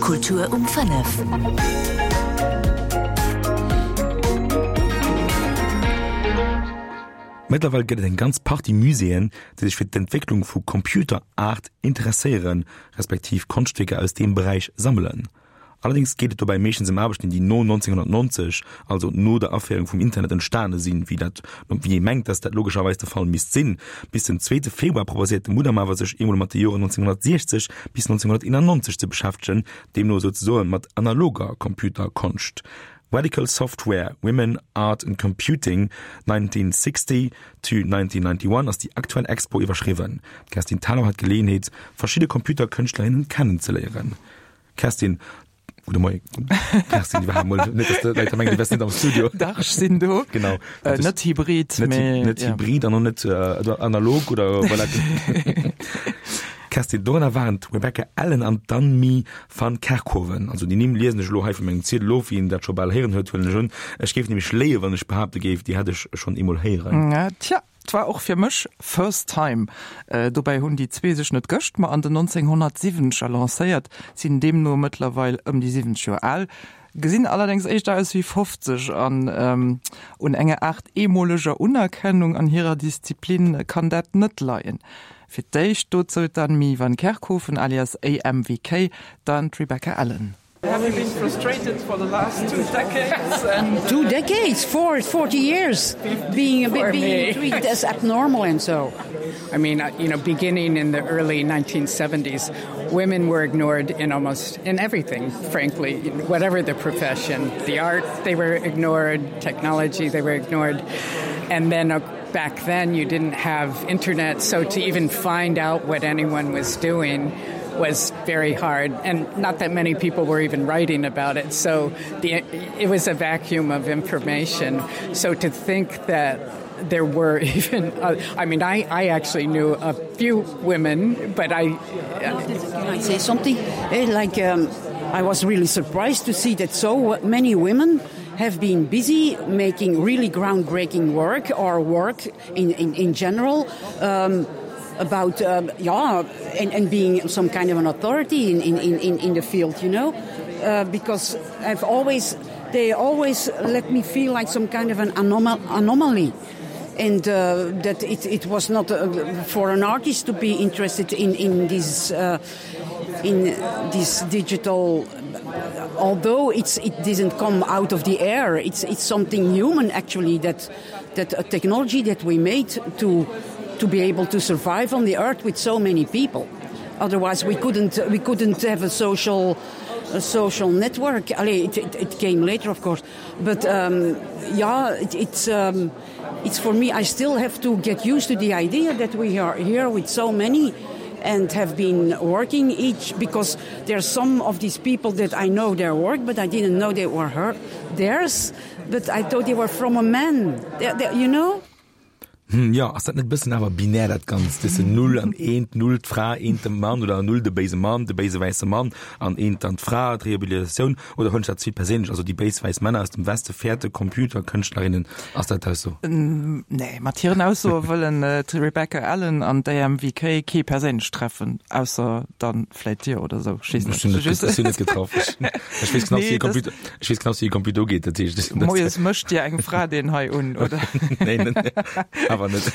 Kultur um 5. Mëttlerweil gëtt et eng ganz Partie Muséeën, déi sech fir d'Entwécklung vu Computer Art interesséieren, respektiv Konschtwierker aus deem Beräich sammelen. Allerdéngs geet et dobäi meeschtens ëm Aarbechten, déi no 1990, also no der Aféierung vum Internet, entstane sinn, wéi dat, wéi ee mengt, dass dat logescherweis de Fall misst sinn. Bis den zweete Februar proposéiert de Mudam awer, sech eemol mat de Joren 1960 bis 1991 ze beschäftegen, deemno souzesoe mat analoger Computerkonscht. Radical Software, Women, Art and Computing 1960 to 1991 ass déi aktuell Expo iwwerschriwwen. D'Kerstin Thalau hat d'Geleeënheet, verschidde Computerkënschtlerinnen kennenzeléieren. Kerstin, gudde Moien. Kerstin, iwwerhaapt mol net, dass de Leit da mengen, du wäers net am Studio. Dach, ech sinn do. Genau. Äh, net hybrid, net, mee, net ja. hybrid an och net äh, analog oder voilà. Kerstin, dorënner waren d'Rebecca Allen an d'Annemie van Kerkhoven. Also déi Nimm liesen ech elo hei vu mengem Ziedel of, wien dat scho bal héieren huet, huelen ech un. Ech géif nämlech léien, wann ech behaapte géif, déi hätt ech schonn eemol héieren. Ja, tja. 't war och fir mech first time. Dobäi hunn déi zwee sech net gëscht, ma an den 1970er lancéiert, sinn deemno mëttlerweil ëm déi 70 Joer al, gesinn allerdéngs éischter aus wéi 50 an un enger Aart eemoleger Unerkennung an hirer Disziplin kann dat net leien. Fir d'éischt dozou d'Annemie van Kerkhoven alias AMVK, dann d'Rebecca Allen. Have you been frustrated for the last two decades? And two decades, four, 40 years being a bit being treated as abnormal and so. I mean, uh, you know, beginning in the early 1970s, women were ignored in almost in everything, frankly, whatever the profession, the art, they were ignored, technology, they were ignored. And then uh, back then you didn't have internet, so to even find out what anyone was doing, was very hard and not that many people were even writing about it so the it was a vacuum of information so to think that there were even uh, I mean I I actually knew a few women but I uh, can I say something eh, like um, I was really surprised to see that so many women have been busy making really groundbreaking work or work in in, in general um, about um, yeah and, and being some kind of an authority in, in, in, in the field you know uh, because I've always they always let me feel like some kind of an anomal anomaly and uh, that it, it was not uh, for an artist to be interested in in this uh, in this digital although it's it didn't come out of the air it's it's something human actually that that a technology that we made to to be able to survive on the earth with so many people otherwise we couldn't we couldn't have a social a social network Allee, it, it, it came later of course but um, yeah it, it's um, it's for me I still have to get used to the idea that we are here with so many and have been working each because there are some of these people that I know their work but I didn't know they were her theirs but I thought they were from a man they, they, you know Hm, jo, ass dat net bëssen awer binär dat Ganzt, wësse Null an Eent, Null d'Fra, Eent de Mann oder Null de béise Mann, de béise wäisse Mann an Eent dann d'Fra, d'Rehabilitatioun, oder hunn ech dat ze vill perséinlech, also déi béis wäiss Männer aus dem Weste fäerte Computerkënschtlerinnen, ass dat d'Ausso? Nee, mat hiren Aussoe wëllen d'Rebecca Allen an d'AMVK kee perséinlech treffen, ausser dann vläit dir oder sou, ech weess net. Ech sinn net getraff. Ech weess knapps, wéi e Computer, ech weess knapps, wéi e Computer ugeet, dat heescht. Moies mécht dir eng Fra deen hei un, oder? Nee, net, awer net.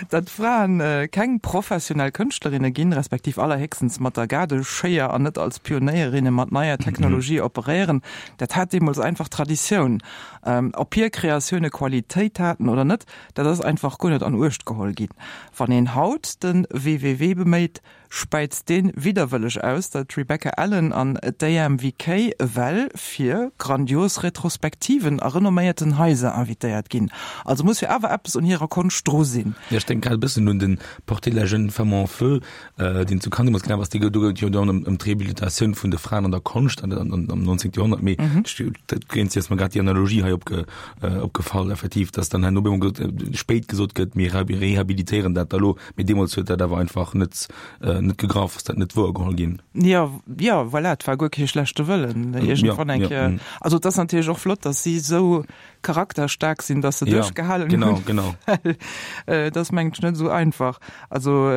Datt Fraen keng professionell Kënschtlerinne ginn, respektiv allerhéchstens mat der Gaardeschéier an net als Pionéierinne mat neier Technologie operéieren, dat hat deemools einfach Traditioun. Ob hir Kreatioune Qualitéit haten oder net, dat ass einfach guer net an Uecht geholl ginn. Wann een haut de WWW beméit, späizt deen widderwëlleg aus, datt d'Rebecca Allen an d'AMVK ewell fir grandios Retrospektiven a renomméierten Haiser invitéiert ginn. Also muss jo awer eppes un hirer Konscht dru sinn. Jo, ech denken grad e bëssen un den Portrait de la jeune femme en feu, deen zu Cannes deemools gelaf ass. Dee gouf, do gouf et jo dann ëm d'Rehabilitatioun vun de Fraen an der Konscht an am 19. Joerhonnert. Mee dat géint si ass mer grad déi Analogie hei opge, opgefall, effektiv, datt dann herno op eemol gesot, spéit gesot gëtt, mir rehabilitéieren dat da lo. Mee deemools huet dat awer einfach net. net gegraff, ass dat net wouergeholl ginn. Jo, jo, voilà, et war guer kee schlechte Wëllen iergendwann eng Kéier. Also et ass natierlech och flott, datt si esou charakterstaark sinn, datt se duerchgehalen hunn. Genau, genau. Well et ass mengen ech net esou einfach. Also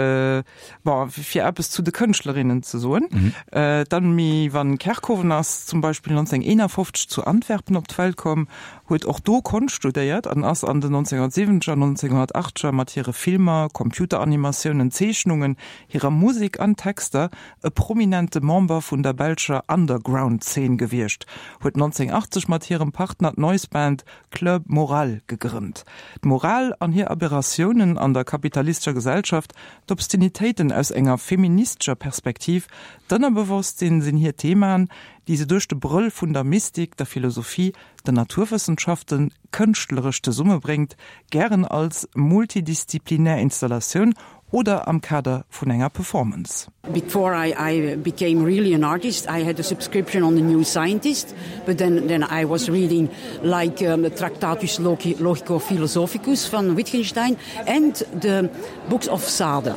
bon, fir eppes zu de Kënschtlerinnen ze soen, D'Annemie van Kerkhoven ass zum Beispill 1951 zu Antwerpen op d'Welt komm, huet och do Konscht studéiert an ass an den 1970er an 1980er mat hire Filmer, Computeranimatiounen, Zeechnungen, hirer Musek an Texter e prominente Member vun der belscher Underground-Zeen gewiescht, huet 1980 mat hirem Partner d'Noise-Band Club Moral gegrënnt. D'Moral an hir Aberratiounen an der kapitalistescher Gesellschaft, d'Obszenitéiten aus enger feministescher Perspektiv, d'Ënnerbewosstsinn sinn hir Themaen, déi se duerch de Brëll vun der Mystik, der Philosophie, den Naturwëssenschaften kënschtleresch zesummebréngt, gären als multidisziplinär Installatioun oder am Kader vun enger Performance. Before I, I became really an artist, I had a subscription on the New Scientist, but then, then I was reading like um, the Tractatus Logico Philosophicus van Wittgenstein and the books of Sade.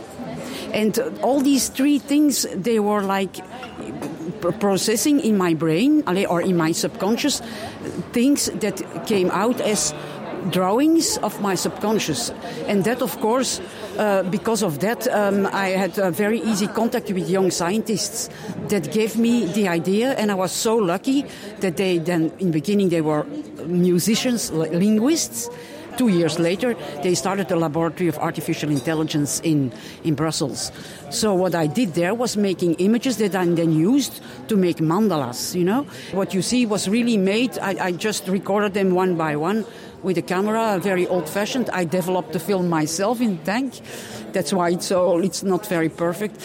And all these three things, they were like processing in my brain or in my subconscious things that came out as drawings of my subconscious. And that, of course, uh, because of that, um, I had a very easy contact with young scientists that gave me the idea. And I was so lucky that they then, in the beginning, they were musicians, linguists. Two years later, they started the laboratory of artificial intelligence in, in Brussels. So what I did there was making images that I then used to make mandalas, you know. What you see was really made, I, I just recorded them one by one with a camera, very old-fashioned. I developed the film myself in tank. That's why it's all it's not very perfect.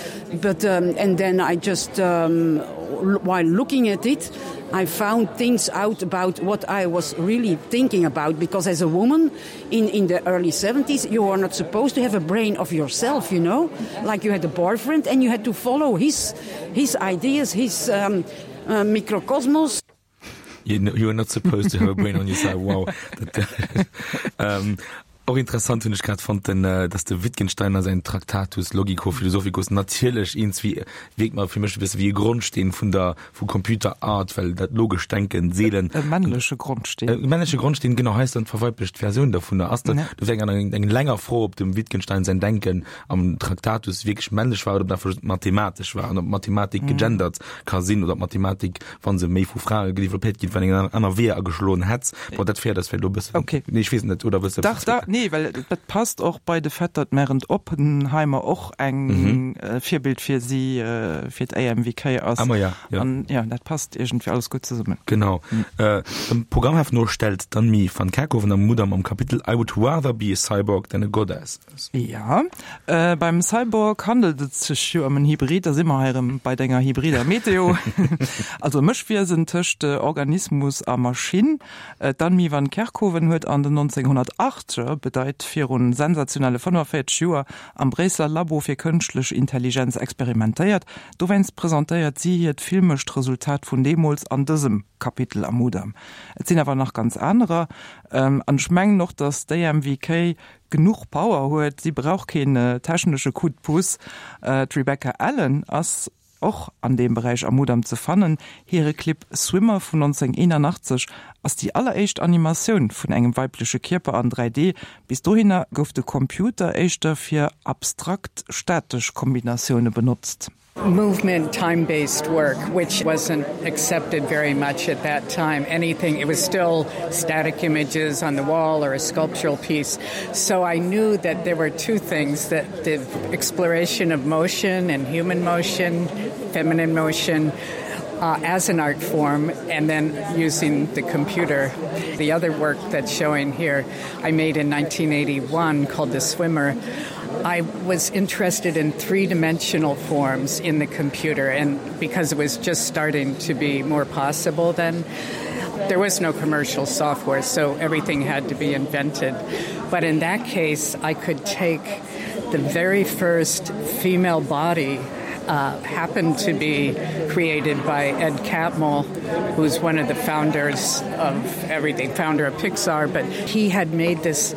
But um, and then I just um, while looking at it, I found things out about what I was really thinking about because as a woman in, in the early 70s, you were not supposed to have a brain of yourself, you know, like you had a boyfriend and you had to follow his, his ideas, his um, uh, microcosmos. You, you are not supposed to have a brain on your side. Wow. um, Och interessant hunn ech grad fonnt, den, äh, dass de Wittgenstein a säin Tractatus Logico-Philosophicus natierlech eens wéi, wierkt mer fir mech e bësse wéi e Grondsteen vun der, vu Computer Art, well dat logescht Denken seelen. E männleche Grondsteen. E männleche Grondsteen, genau, hei ass dann d'verweiblecht Versioun dovunner. Ass dat, do wär eng, eng länger Fro, ob dem Wittgenstein säin Denken am Tractatus wierklech männlech war oder ob dat einfach just mathematesch war an ob Mathematik gegendert ka sinn oder ob Mathematik wann se méi vu Frae gedeveloppéiert ginn, wann eng aner Weeër ageschloen hätt. Bon, dat féiert eis vläicht elo e bëssen. Okay. Nee, ech weess et net, oder wëlls de Dach, dach, nee, well dat passt och bei de Fait, datt d'Märend Oppenheimer och eng Virbild fir si, fir d'AMVK ass. Ah, ma ja, ja. An ja, dat passt iergendwéi alles gutt zesummen. Genau. Dem Programmheft no stellt d'Annemie van Kerkhoven am Mudam am Kapitel I would rather be a cyborg than a goddess. Ja, beim Cyborg handelt et sech jo ëm en Hybrid, da si mer hei erëm bei denger hybrider Meteo. Also e Mëschwiesen tëscht Organismus a Maschinn. D'Annemie van Kerkhoven huet an den 1980er, bedeit virun sensationelle 45 Joer, am Bréisseler Labo fir kënschtlech Intelligenz experimentéiert. Dowéinst presentéiert si hiert filmescht Resultat vun deemools an dësem Kapitel am Mudam. Et sinn awer nach ganz anerer. An ech mengen och, datt d'AMVK genuch Power huet, si brauch keen technesche Coup de pouce. D'Rebecca Allen ass och an deem Beräich am Mudam ze fannen. Hire Clip Swimmer vun 1981 ass déi alleréischt Animatioun vun engem weibleche Kierper an 3D. Bis dohinner gouf de Computer éischter fir abstrakt statesch Kombinatioune benotzt. Movement time-based work, which wasn't accepted very much at that time. Anything it was still static images on the wall or a sculptural piece. So I knew that there were two things that the exploration of motion and human motion, feminine motion, uh, as an art form and then using the computer. The other work that's showing here I made in 1981 called the swimmer. I was interested in three-dimensional forms in the computer and because it was just starting to be more possible then there was no commercial software so everything had to be invented but in that case I could take the very first female body uh, happened to be created by Ed Catmull who's one of the founders of everything founder of Pixar but he had made this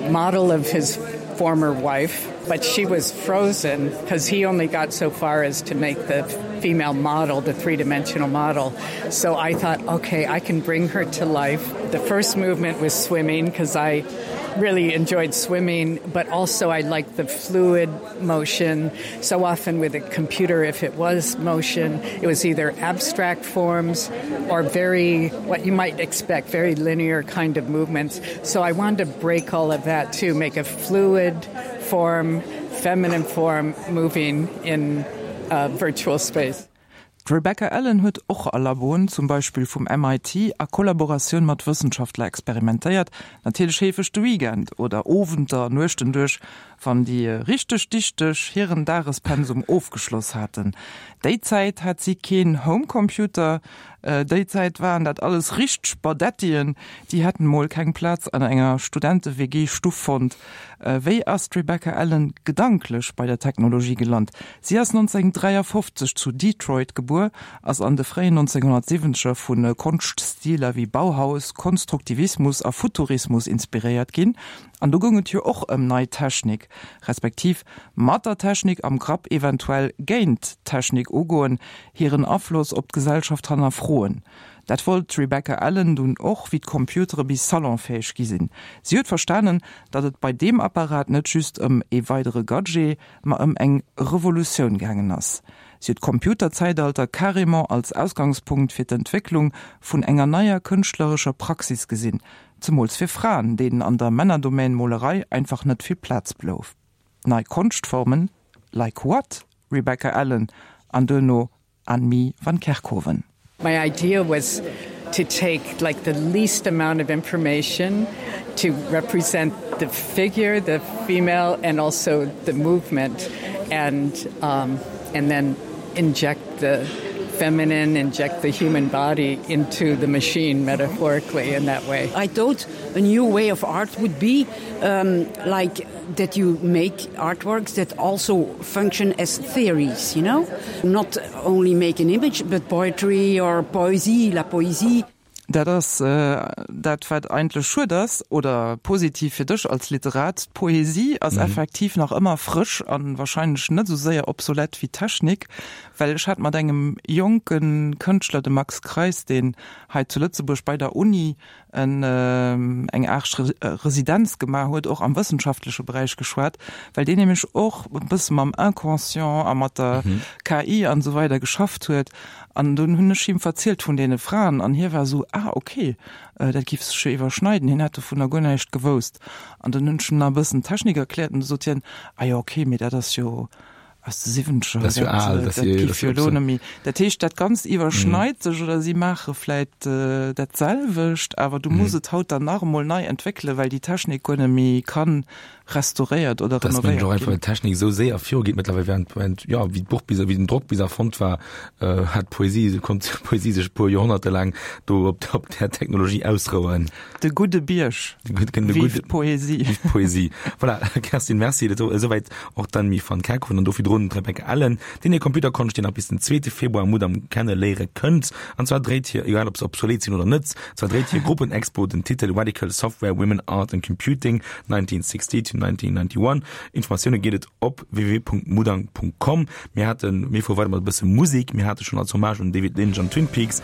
model of his former wife. But she was frozen because he only got so far as to make the female model, the three-dimensional model. So I thought, okay, I can bring her to life. The first movement was swimming because I really enjoyed swimming, but also I liked the fluid motion. So often with a computer, if it was motion, it was either abstract forms or very what you might expect, very linear kind of movements. So I wanted to break all of that to make a fluid form, feminine form moving in uh, virtual space. D'Rebecca Allen huet och a Laboen, zum Beispill vum MIT, a Kollaboratioun mat Wëssenschaftler experimentéiert, natierlech heefeg de Weekend oder Owenter, Nuechten duerch, wann déi richteg Dichteg hiren Dagespensum ofgeschloss haten. Déi Zäit hat si keen Homecomputer, déi Zäit waren dat alles richteg Badettien, déi hätten mol keng Plaz an enger Studente-WG-Stuff fonnt. Wéi ass d'Rebecca Allen gedanklech bei der Technologie gelant? Si ass 1953 zu Detroit gebuer, ass an de fréien 1970er vu Konschtstiler wéi Bauhaus, Konstruktivismus a Futurismus inspiréiert ginn. An do goung et jo och ëm nei Technik, respektiv mat der Technik am Grapp eventuell géint d'Technik ugoen, hiren Afloss op d'Gesellschaft hannerfroen. Dat wollt d'Rebecca Allen dunn och, wéi d'Computere bis salonfäeg gi sinn. Si huet verstanen, datt et bei deem Apparat net just ëm ee weidere Gadget, ma ëm eng Revolutioun gaangen ass. Si huet d'Computerzäitalter carrément als Ausgangspunkt fir d'Entwécklung vun enger neier kënschtlerescher Praxis gesinn, zemools fir Fraen, deenen an der Männerdomän Molerei einfach net vill Plaz blouf. Nei Konschtformen, like what, Rebecca Allen? An duerno Annemie van Kerkhoven. My idea was to take like the least amount of information to represent the figure, the female and also the movement and um, and then inject the feminine, inject the human body into the machine metaphorically in that way. I thought a new way of art would be um, like that you make artworks that also function as theories, you know? Not only make an image, but poetry or poesie, la poésie. Dat ass dat, wat eigentlech schued ass, oder positiv fir dech als Literat, D'Poesie ass effektiv nach ëmmer frësch a wahrscheinlech net esou séier obsolet wéi d'Technik. Well ech hat mat engem jonke Kënschtler, dem Max Kreis, deen hei zu Lëtzebuerg bei der Uni en eng Aart Residenz gemaach huet, och am wëssenschaftleche Beräich geschwat, well deen nämlech och e bësse mam Inconscient a mat der KI an esou weider geschafft huet. An dunn hunn ech him verzielt vun deene Fraen an hie war esou, ah okay, dat géif sech jo iwwerschneiden. Hien hätt dovunner guer näischt gewousst. An dunn hunn ech him nach e bëssen Technik erkläert an du sot hien, ah jo okay, mee dat ass jo aus de Siwwenzeger, Dat ass jo al, dat géif jo elo net méi. Dat heescht, dat Ganzt iwwerschneit sech oder si maache vläit dat selwecht, awer du muss et haut dann nach emol nei entwéckelen, well déi Technik guer net méi kann restauréiert oder renovéiert ginn. Dass einfach d'Technik esou séier virugeet mëttlerweil, während, während, jo, wéi d'Buch bis, wéi den Drock bis erfonnt war, hat d'Poesie, konnt d'Poesie sech e puer Joerhonnerte laang do op, op där Technologie ausrouen. De gudde Bierg. De gudde, Vive d'Poesie. Vive d'Poesie. Voilà, Kerstin, merci. Dat esouwäit och d'Annemie van Kerkhoven an do virdrun d'Rebecca Allen, déi hir Computerkonscht, déi nach bis den zweete Februar am Mudam kenne léiere kënnt. An zwar dréit hir, egal ob se obsolet sinn oder net, zwar dréit hir Gruppenexpo den Titel Radical Software, Women, Art and Computing, 1960 to 1991. Informatioune geet et op www.mudang.com. Mir haten, mir fuere weider mat e bësse Musek. Mir hate schonn als Hommage un David Lynch an Twin Peaks.